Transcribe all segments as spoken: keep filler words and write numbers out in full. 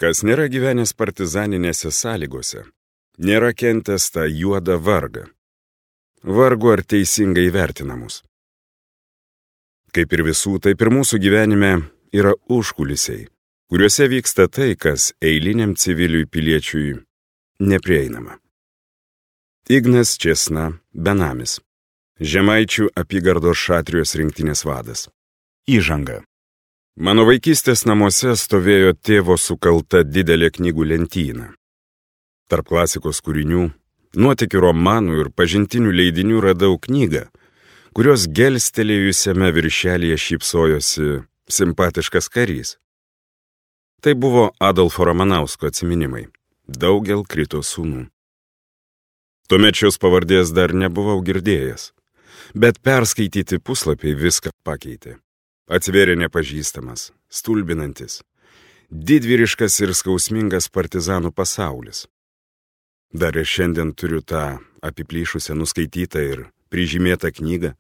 Kas nėra gyvenęs partizaninėse sąlygose, nėra kentęs tą juodą vargą. Vargu ar teisingai vertinamus. Kaip ir visų, taip ir mūsų gyvenime yra užkulisiai, kuriuose vyksta tai, kas eiliniam civiliui piliečiui neprieinama. Ignas Česna, benamis. Žemaičių apygardos Šatrijos rinktinės vadas. Įžanga. Mano vaikystės namuose stovėjo tėvo sukalta didelė knygų lentyna. Tarp klasikos kūrinių, nuotykių romanų ir pažintinių leidinių radau knygą, kurios gelstelėjusiame viršelyje šypsojosi simpatiškas karys. Tai buvo Adolfo Ramanausko atsiminimai. Daugel krito sūnų. Tuomet šios pavardės dar nebuvau girdėjęs, bet perskaityti puslapiai viską pakeitė. Atsivėrė nepažįstamas, stulbinantis, didvyriškas ir skausmingas partizanų pasaulis. Dar ir šiandien turiu tą apiplyšusią nuskaitytą ir prižymėtą knygą,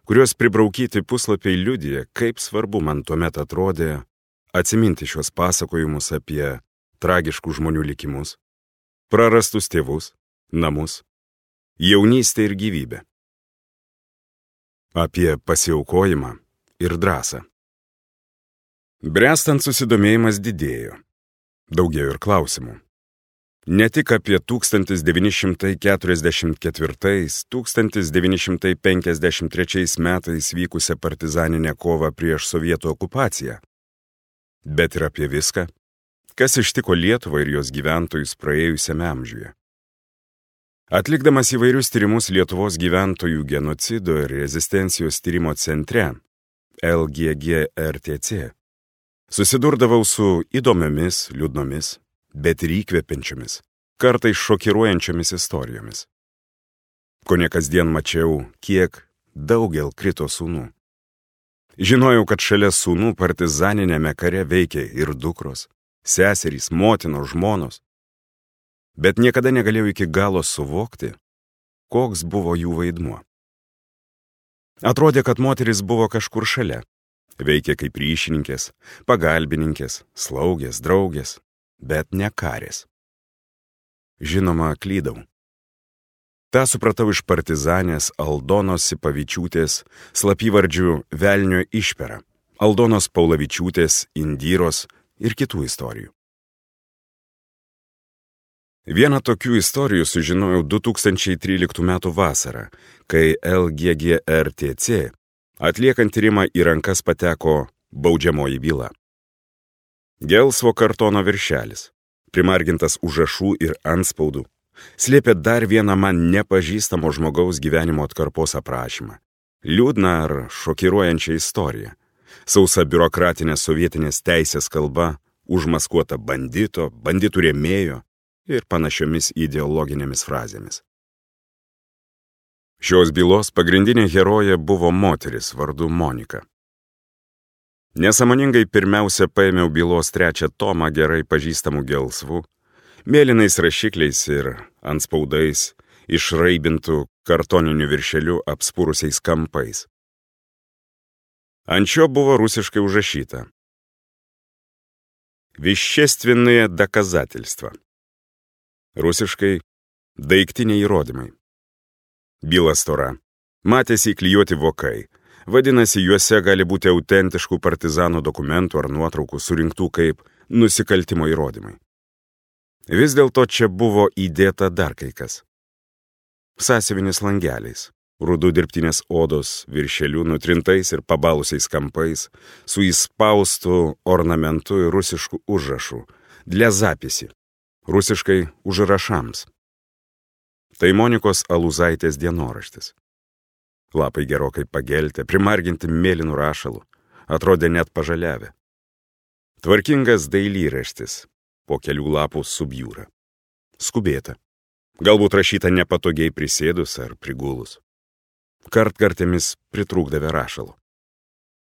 kurios pribraukyti puslapiai liudija, kaip svarbu man tuomet atrodė atsiminti šios pasakojimus apie tragiškų žmonių likimus, prarastus tėvus, namus, jaunystę ir gyvybę. Apie pasiaukojimą ir drąsą. Bręstant susidomėjimas didėjo. Daugėjo ir klausimų. Ne tik apie tūkstantis devyni šimtai keturiasdešimt ketvirtais - tūkstantis devyni šimtai penkiasdešimt trečiais metais vykusią partizaninę kovą prieš sovietų okupaciją, bet ir apie viską, kas ištiko Lietuvą ir jos gyventojus praėjusiame amžiuje. Atlikdamas įvairius tyrimus Lietuvos gyventojų genocido ir rezistencijos tyrimo centre, L G G R T C, susidurdavau su įdomiomis, liūdnomis, bet ir įkvepiančiomis, kartais šokiruojančiomis istorijomis. Kone kasdien mačiau, kiek daugel krito sūnų. Žinojau, kad šalia sūnų partizaninėme kare veikė ir dukros, seserys, motinos, žmonos, bet niekada negalėjau iki galo suvokti, koks buvo jų vaidmuo. Atrodė, kad moteris buvo kažkur šalia, veikė kaip ryšininkės, pagalbininkės, slaugės, draugės, bet ne karės. Žinoma, klydau. Ta supratau iš partizanės Aldonos Sipavičiūtės slapyvardžių Velnio išpera, Aldonos Paulavičiūtės, Indyros ir kitų istorijų. Vieną tokių istorijų sužinojau du tūkstančiai tryliktų metų vasarą, kai L G G R T C atliekant tyrimą į rankas pateko baudžiamoji byla. Gelsvo kartono viršelis, primargintas užrašų ir antspaudų, slėpė dar vieną man nepažįstamo žmogaus gyvenimo atkarpos aprašymą. Liūdną ar šokiruojančią istoriją. Sausa biurokratinės sovietinės teisės kalba, užmaskuota bandito, banditų rėmėjo ir panašiomis ideologinėmis frazėmis. Šios bylos pagrindinė herojė buvo moteris vardu Monika. Nesąmoningai pirmiausia paėmiau bylos trečią tomą gerai pažįstamų gelsvų, mėlynais rašikliais ir antspaudais, išraibintų kartoniniu viršeliu apspūrusiais kampais. Ant šio buvo rusiškai užrašyta: Вещественные доказательства. Rusiškai daiktiniai įrodymai. Byla stora. Matėsi įklijuoti vokai. Vadinasi, juose gali būti autentiškų partizanų dokumentų ar nuotraukų surinktų kaip nusikaltimo įrodymai. Vis dėlto čia buvo įdėta dar kai kas. Sąsiuvinis langeliais, rudų dirbtinės odos viršelių nutrintais ir pabalusiais kampais, su įspaustu ornamentu ir rusišku užrašu для записи, rusiškai užrašams. Tai Monikos Aluzaitės dienoraštis. Lapai gerokai pageltę, primarginti mėlynų rašalų, atrodė net pažaliavę. Tvarkingas dailyraštis, po kelių lapų subjūra. Skubėta. Galbūt rašyta nepatogiai prisėdus ar prigulus. Kartkartėmis pritrūkdavė rašalo.